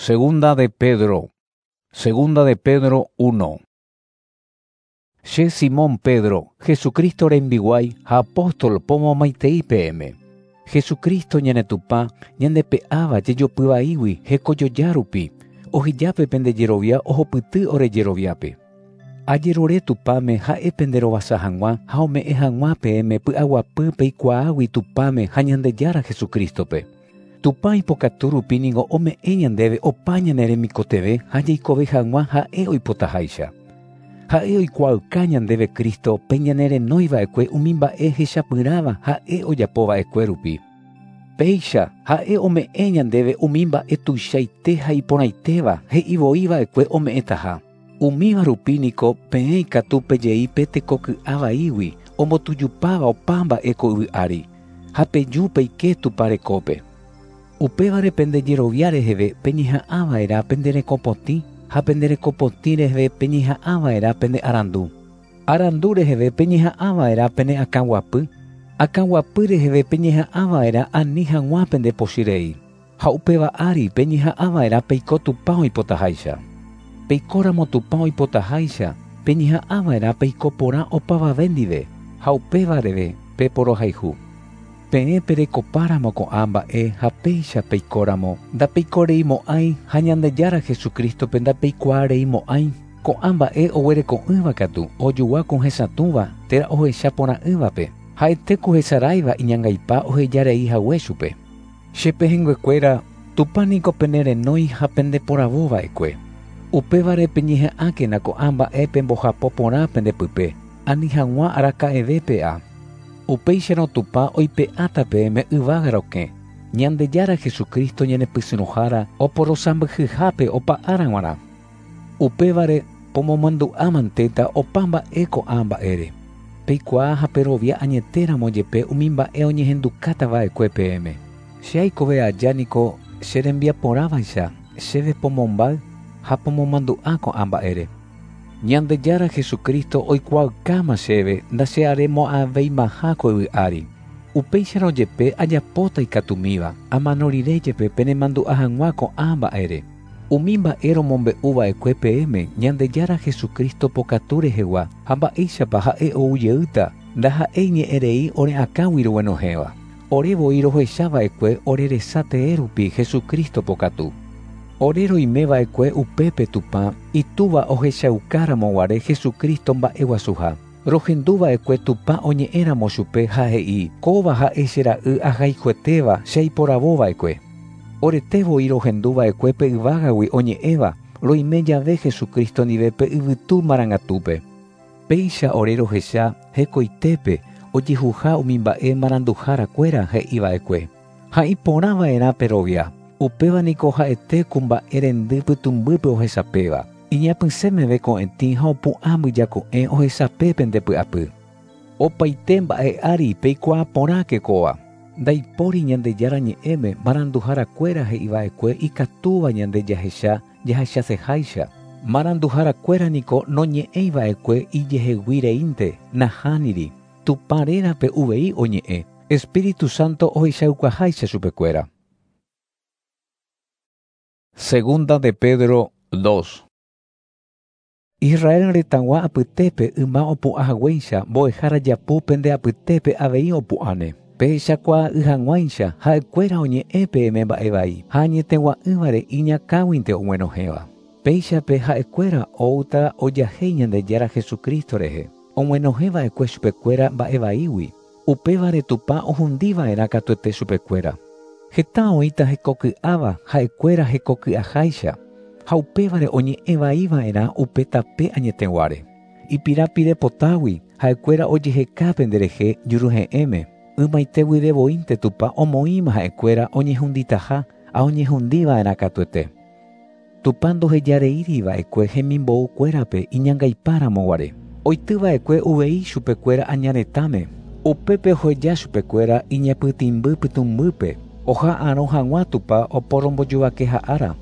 Segunda de Pedro. Segunda de Pedro 1. Che Simón Pedro, Jesucristo rembiguái ha apóstol pomomaitei peẽme. Jesucristo ñane Tupã ñandepe'áva jejopy vaígui hekojoja rupi, ohejápe pende jerovia ohupyty ore jeroviápe. Ajerure Tupãme ha'e penderovasa hag̃ua ha ome'ẽ hag̃ua peẽme py'aguapy peikuaágui Tupãme ha Ñandejára Jesucristo-pe. Tupã ipokatu rupi niko ome'ẽ ñandéve opa ñane remikotevẽ ha jaikove hag̃ua ha'e oipotaháicha. Ha'e oikuaauka ñandéve Cristo pe ñanerenóiva'ekue umi mba'e hechapyrãva ha'e ojapova'ekue rupi. Péicha ha'e ome'ẽ ñandéve umi mba'e tuichaite ha iporãitéva he'ivoiva'ekue ome'ẽtaha. Umíva rupi niko peẽ ikatu pejei pe tekoky'a vaígui ombotujupáva opa mba'e ko yvy ári ha peju peike Tupã rekópe. Upévare pende jerovia reheve peñeha'ãva'erã pende rekopotĩ ha pende rekopotĩ reheve peñeha'ãva'erã pende arandu. Arandu reheve peñeha'ãva'erã pene akãguapy, akãguapy reheve peñeha'ãva'erã ani hag̃ua pende pochyrei. Ha upéva ári peñeha'ãva'erã peiko Tupã oipotaháicha. Peikóramo Tupã oipotaháicha peñeha'ãva'erã peiko porã opavave ndive ha upévareve peporohayhu. Peẽ perekopáramo ko'ã mba'e ha péicha peikóramo ndapeikorei ha Ñandejára Jesucristo-pe ndapeikuaareimo'ãi. Ko'ã mba'e oguereko'ỹva katu ojugua ku hesatũva térã ohecha porã'ỹvape ha'ete ku hesaráiva iñangaipa ohejarei hague chupe. Che pehẽnguekuéra Tupã niko penerenói ha pendeporavóva'ekue. Upévare peñeha'ãkena ko'ã mba'e pembohapo porã pendepype ani hag̃ua araka'eve pe'a. Upéicharõ Tupã oipe'áta peẽme yvága rokẽ. Ñandejára Jesucristo ñanepysyrõhára oporosãmbyhyhápe opa ára g̃uarã. Upévare pomomandu'ámantéta opa mba'e ko'ã mba'ére. Peikuaa ha perovia añetéramo jepe umi mba'e oñehendukátava'ekue peẽme. Che aikove aja niko che rembiaporãvaicha chéve pomombáy ha pomomandu'a ko'ã mba'ére. Ñandejára Jesucristo oikuaaukáma chéve ndachearemo'ãveimaha ko yvy ári. Upéicharõ jepe ajapóta ikatumíva amano rire jepe penemandu'a hag̃ua ko'ã mba'ére. Umi mba'e romombe'uva'ekue peẽme Ñandejára Jesucristo pokatu rehegua ha mba'éichapa ha'e oujeýta ndaha'éi ñe'ẽrei ore akãgui roguenohẽva. Ore voi rohechava'ekue ore resa tee rupi Jesucristo pokatu. Ore roimeva'ekue upépe Tupã itúva ohechaukáramo guare Jesucristo mba'eguasuha. Rohenduva'ekue Tupã oñe'ẽramo chupe ha he'i kóva ha'e che ra'y ahayhuetéva che aiporavóva'ekue. Orete voi rohenduva'ekue pe yvágagui oñe'ẽva roime jave Jesucristo ndive pe yvytu marangatúpe. Péicha ore rohecha hekoitépe ojehuha umi mba'e maranduharakuéra he'iva'ekue. Ha iporãva'erã perovia. Upéva niko ha'ete ku mba'e rendy pytũmbýpe ohesapéva. Iñapysẽ meve ko'ẽtĩ ha opu'ã mbyjako'ẽ ohesape pende py'apy. Opaite mba'e ári peikuaa porãke kóva. Ndaipóri Ñandejára ñe'ẽme maranduharakuéra he'iva'ekue ikatúva ñande jahecha jahechaseháicha. Maranduharakuéra niko noñe'ẽiva'ekue ijehegui reínte nahániri. Tupã rérape uvei oñe'ẽ. Espíritu Santo ohechaukaháicha chupekuéra. Segunda de Pedro 2. Israel retãgua apytépe yma opu'ãhaguéicha mbo'ehára japu pende apytépe avei opu'ãne. Pehechakuaa'ỹ hag̃uáicha ha'ekuéra oñe'ẽ peẽme mba'e vai ha añetegua'ỹvare iñakãguinte og̃uenohẽva. Péichape ha'ekuéra oúta ojahéi Ñandejára Jesucristo rehe. Og̃uenohẽva'ekue chupekuéra mba'e vaígui. Upévare Tupã ohundiva'erã katuete chupekuéra. Heta oĩta hekoky'áva ha'ekuéra hekoky'aháicha ha upévare oñe'ẽvaiva'erã upe tape añeteguáre. Ipirapirepotágui ha'ekuéra ojeheka penderehe juruhe'ẽme. Ymaite guive voínte Tupã omoĩma ha'ekuéra oñehunditaha ha oñehundiva'erã katuete. Tupã ndohejareíriva'ekue hemimboukuérape iñangaipáramo guare. Oityva'ekue uvei chupekuéra añaretãme. Upépe oheja chupekuéra iñapytĩmby pytũmbýpe oha'arõ hag̃ua Tupã oporombojovakeha'ára.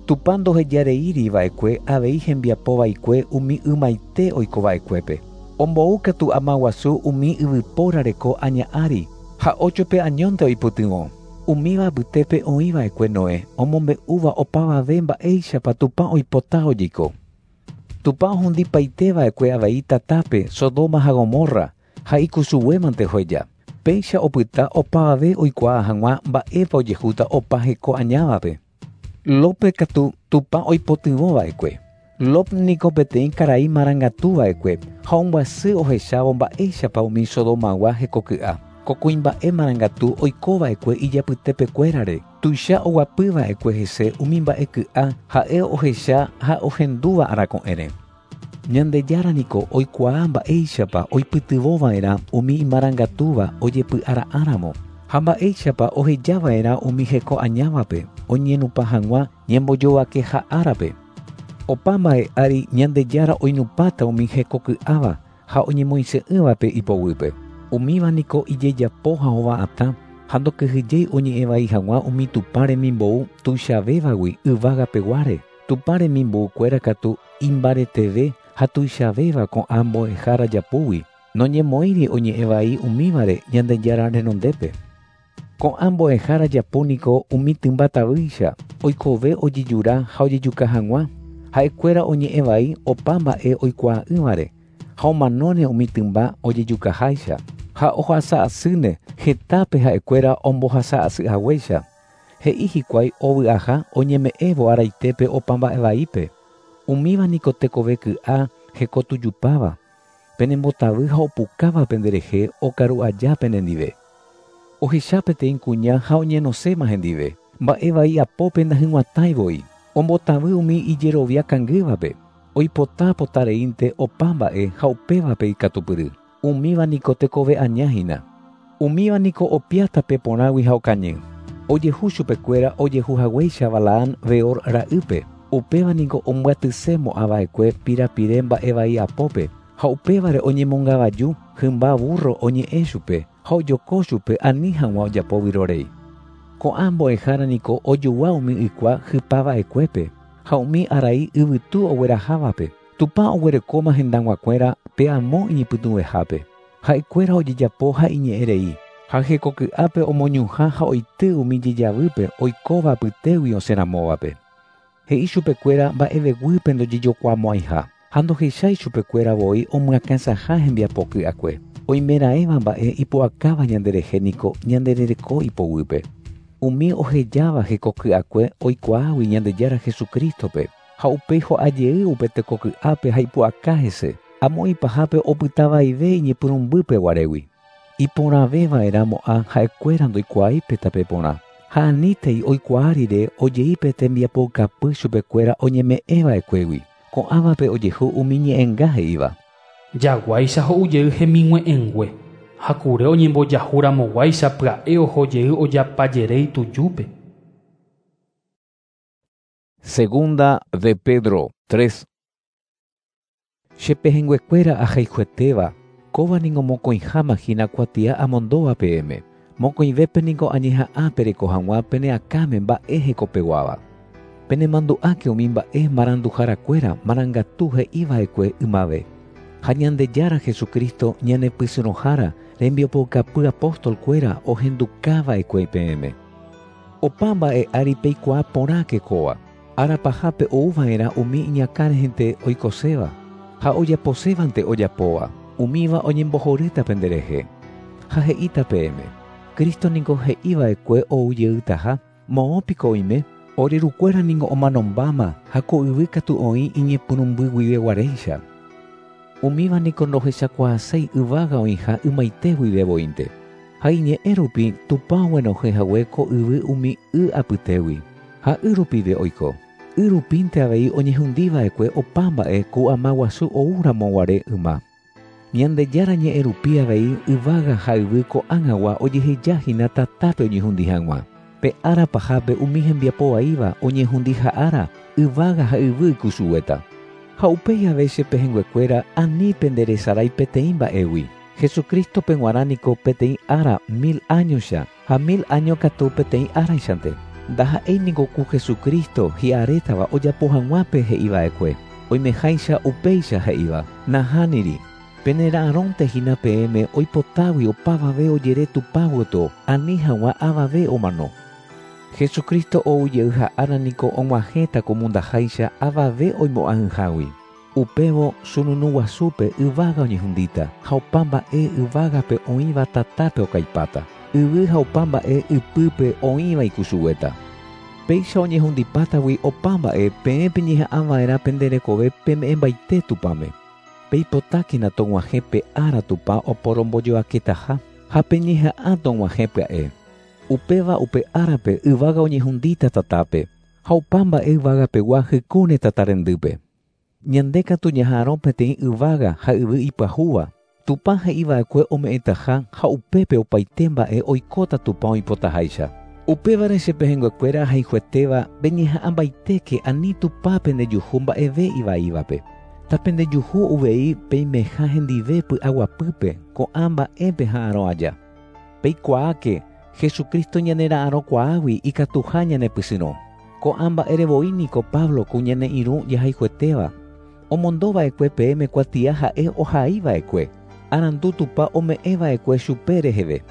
Tupã ndohejareíriva'ekue avei hembiapovaikue umi ymaite oikova'ekuépe. Omboúkatu ama guasu umi yvypóra reko aña ári ha óchope añónte oipytyvõ. Umíva apytépe oĩva'ekue Noé, omombe'úva opavave mba'éichapa Tupã oipota ojeiko. Tupã ohundipaiteva'ekue avei tatápe Sodoma ha Gomorra ha ikusuguémante oheja. Péicha opyta opavave oikuaa hag̃ua mba'épa ojehúta opa heko añávape. Lópe katu Tupã oipotyvõva'ekue. Lot niko peteĩ karai marangatuva'ekue ha ombyasy ohechávo mba'éichapa umi Sodomagua hekoky'a. Ko kuimba'e marangatu oikova'ekue ijapytepekuérare. Tuicha oguapyva'ekue hese umi mba'eky'a ha'e ohecha ha ohendúva arako'ẽre. Ñandejára niko oikuaa mba'éichapa oipytyvõva'erã umi imarangatúva ojepy'ara'ãramo ha mba'éichapa ohejava'erã umi heko añávape oñenupã hag̃ua ñembojovakeha árape. Opa mba'e ári Ñandejára oinupãta umi hekoky'áva ha oñemoĩse'ỹvape ipoguýpe. Umíva niko ijejapo ha hova'atã ha ndokyhyjéi oñe'ẽvai hag̃ua umi Tupã remimbou tuichavévagui yvágapeguáre. Tupã remimboukuéra katu imbareteve ha tuichavéva ko'ã mbo'ehára japúgui. Noñemoĩri oñe'ẽvai umívare Ñandejára renondépe. Ko'ã mbo'ehára japu niko umi tymba tavýicha oikove ojejura ha ojejuka hag̃ua. Ha'ekuéra oñe'ẽvai opa mba'e oikuaa'ỹvare ha omanóne umi tymba ojejukaháicha ha ohasa'asýne hetápe ha'ekuéra ombohasa'asyhaguéicha. He'i hikuái ovy'aha oñeme'ẽvo araitépe opa mba'evaípe. Umíva niko tekove ky'a hekotujupáva, penembotavy ha opukáva penderehe okaru aja penendive. Ohecha peteĩ kuña ha oñenoséma hendive. Mba'evai apópe ndahyg̃uatãivoi. Ombotavy umi ijerovia kangývape. Oipota potareínte opa mba'e ha upévape ikatupyry. Umíva niko tekove añáhina. Umíva niko opia tape porãgui ha okañy. Ojehu chupekuéra ojehuhaguéicha Balaam Beor ra'ýpe. Upéva niko ombyatysemo'ãva'ekue pirapire mba'evai apópe ha upévare oñemongavaju hymba burro oñe'ẽ chupe ha ojoko chupe ani hag̃ua ojapo vyrorei. Ko'ã mbo'ehára niko ojogua umi ykua hypava'ekuépe ha umi arai yvytu oguerahávape. Tupã oguerekóma hendag̃uakuéra pe amo iñipytũvehápe. Ha'ekuéra ojejapo ha iñe'ẽrei. Ha hekoky'ápe omoñuhã ha oity umi jejavýpe oikóva apytégui osẽramóvape. He'i chupekuéra mba'eveguýpe ndojejokuaamo'ãiha ha ndohechái chupekuéra voi omyakãsaha hembiapoky'akue. Oimeraẽva mba'e ipu'akáva ñanderehe niko ñanderereko ipoguýpe. Umi ohejáva hekoky'akue oikuaágui Ñandejára Jesucristope ha upéi ho'ajey upe tekoky'ápe ha ipu'aka hese. Amo ipahápe opytavaive iñepyrũmbýpe guarégui. Iporãveva'erãmo'ã ha'ekuéra ndoikuaáipe tape porã. Ha anítei oikuaa rire ojeípe tembiapokapy chupekuéra oñeme'ẽva'ekuégui. Ko'ãvape ojehu umi ñe'ẽnga he'íva. Jaguáicha ho'ujey hemig̃ue'ẽngue ha kure oñembojahuramoguáicha pya'e ohojey ojapajeréi tujúpe. Segunda de Pedro 3. Chepehẽnguekuéra ahayhuetéva, kóva niko mokõiháma hína kuatia amondóva peẽme. Mokõivépe niko añeha'ã pereko hag̃ua pene akãme mba'e hekopeguáva. Penemandu'áke umi mba'e maranduharakuéra marangatu he'iva'ekue ymave. Ha Ñandejára Jesucristo ñanepysyrõhára rembiapoukapy apóstolkuéra ohendukava'ekue peẽme. Opa mba'e ári peikuaa porãke kóva. Ára pahápe ouva'erã umi iñakãrehente oikoséva ha ojaposévante ojapóva. Umíva oñembohorýta penderehe. Ha he'íta peẽme. Cristo niko he'iva'ekue oujeýtaha moõpiko oime. Orerukuéra niko omanombáma ha ko yvy katu oĩ iñepyrũmbyguiveguaréicha. Umíva niko ndohechakuaaséi yvága oĩha ymaite guive voínte. Ha iñe'ẽ rupi Tupã oguenohẽhague ko yvy umi y apytégui. Ha y rupive oiko. Y rupínte avei oñehundiva'ekue opa mba'e ku ama guasu oúramoguare yma. Ñandejára ñe'ẽ rupi avei yvága ha yvy ko'ág̃agua ojehejahína tatápe oñehundi hag̃ua. Pe ára pahápe umi hembiapovaíva oñehundiha ára yvága ha yvy ikusuguéta. Ha upéi ave chepehẽnguekuéra ani penderesarái peteĩ mba'égui. Jesucristope g̃uarã niko peteĩ ára 1000 áñoicha ha 1000 áño katu peteĩ áraichante. Ndaha'éi niko ku Jesucristo hi'arétava ojapo hag̃uápe he'iva'ekue. Oimeháicha upéicha he'íva. Nahániri. Penera'arõnte hína peẽme oipotágui opavave ojere Tupã gotyo ani hag̃ua avave omano. Jesucristo ou jeyha ára niko og̃uahẽta ko mundaháicha avave oimo'ã'ỹhágui. Upévo sununu guasúpe yvága oñehundíta ha opa mba'e yvágape oĩva tatápe okaipáta. Yvy ha opa mba'e ypýpe oĩva ikusuguéta. Péicha oñehundipátagui opa mba'e peẽ peñeha'ãva'erã pende rekove peme'ẽmbaite Tupãme. Peipotákena tog̃uahẽ pe ára Tupã oporombojoaketaha ha peñeha'ã tog̃uahẽ pya'e. Upéva upe árape yvága oñehundíta tatápe ha opa mba'e yvagapegua hykúne tata rendýpe. Ñande katu ñaha'arõ peteĩ yvága ha yvy ipyahúva. Tupã he'iva'ekue ome'ẽtaha ha upépe opaite mba'e oikóta Tupã oipotaháicha. Upévare che pehẽnguekuéra ahayhuetéva peñeha'ãmbaitéke ani Tupã pendejuhu mba'eve ivaívape. Tapendejuhu uvei peimeha hendive py'aguapýpe ko'ã mba'e peha'arõ aja. Peikuaáke Jesucristo ñanera'arõkuaágui ikatuha ñanepysyrõ. Ko'ã mba'erevoi niko Pablo ku ñane irũ jahayhuetéva. Omondova'ekue peẽme kuatia ha'e ohaiva'ekue. Arandu Tupã ome'ẽva'ekue chupe reheve.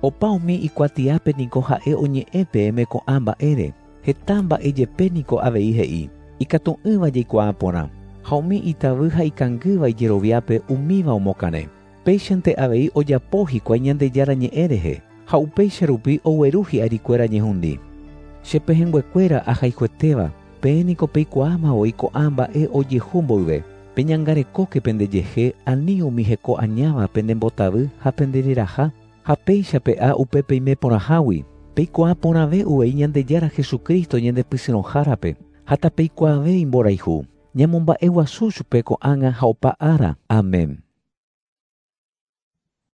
Opa umi ikuatiápe niko ha'e oñe'ẽ peẽme ko'ã mba'ére. Heta mba'e jepe niko avei he'i. Ikatu'ỹva jaikuaa porã. Ha umi itavy ha ikangýva ijeroviápe umíva omokarẽ. Péichante avei ojapo hikuái Ñandejára ñe'ẽ rehe ha upéicha rupi ogueru hi'arikuéra ñehundi. Che pehẽnguekuéra ahayhuetéva, peẽ niko peikuaámavoi ko'ã mba'e ojehu mboyve. Peñangarekóke pendejehe ani umi heko añáva pendembotavy ha pendereraha ha péicha pe'a upe peime porãhágui. Peikuaa porãve uvei Ñandejára Jesucristo ñandepysyrõhárape ha tapeikuaave imborayhu. Ñamomba'eguasu chupe ko'ág̃a ha opa ára. Amén.